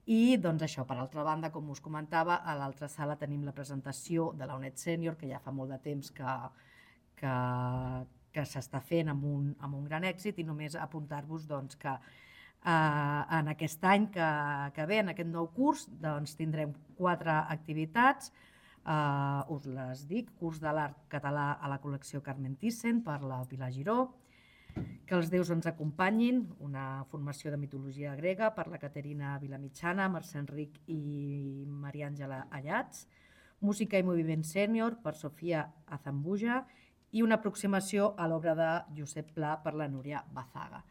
I doncs això, per altra banda, com us comentava, a l'altra sala tenim la presentació de la UNED Sènior, que ja fa molt de temps que s'està fent amb un gran èxit, i només apuntar-vos doncs, que en aquest any que ve, en aquest nou curs, doncs, tindrem 4 activitats. Us les dic: curs de l'art català a la col·lecció Carmen Thyssen per la Pilar Giró, que els déus ens acompanyin, una formació de mitologia grega per la Caterina Vilamitjana, Mercè Enric i Maria Àngela Allats, música i moviment sènior per Sofia Azambuja i una aproximació a l'obra de Josep Pla per la Núria Bazaga.